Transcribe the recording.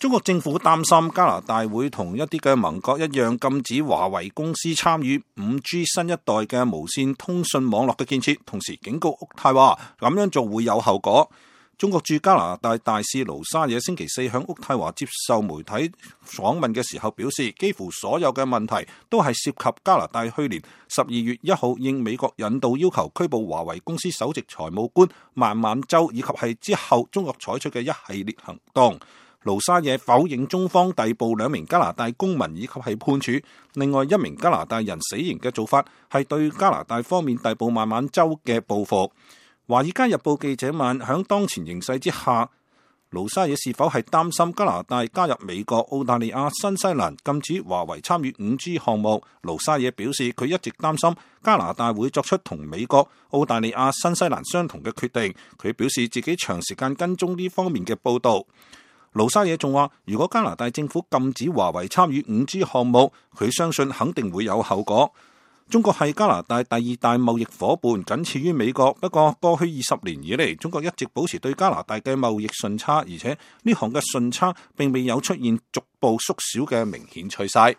中國政府擔心加拿大會同一啲嘅盟國一樣禁止華為公司參與 5G 新一代嘅無線通訊網絡嘅建設，同時警告渥太華咁樣做會有後果。中國駐加拿大大使盧沙野星期四響渥太華接受媒體訪問嘅時候表示，幾乎所有嘅問題都係涉及加拿大去年12月1號應美國引導要求拘捕華為公司首席財務官孟晚舟，以及係之後中國採取嘅一系列行動。盧沙野否認中方逮捕2名加拿大公民以及係判處另外1名加拿大人死刑嘅做法係對加拿大方面逮捕孟晚舟嘅報復。華爾街日報記者問，響當前形勢之下，盧沙野是否係擔心加拿大加入美國、澳大利亞、新西蘭禁止華為參與 5G 項目？盧沙野表示，佢一直擔心加拿大會作出同美國、澳大利亞、新西蘭相同嘅決定。佢表示自己長時間跟蹤呢方面嘅報導。盧沙野仲話，如果加拿大政府禁止華為參與 5G 項目，佢相信肯定會有後果。中國係加拿大第2大貿易夥伴，僅次於美國。不過過去20年以嚟，中國一直保持對加拿大嘅貿易順差，而且呢項嘅順差並未有出現逐步縮小嘅明顯趨勢。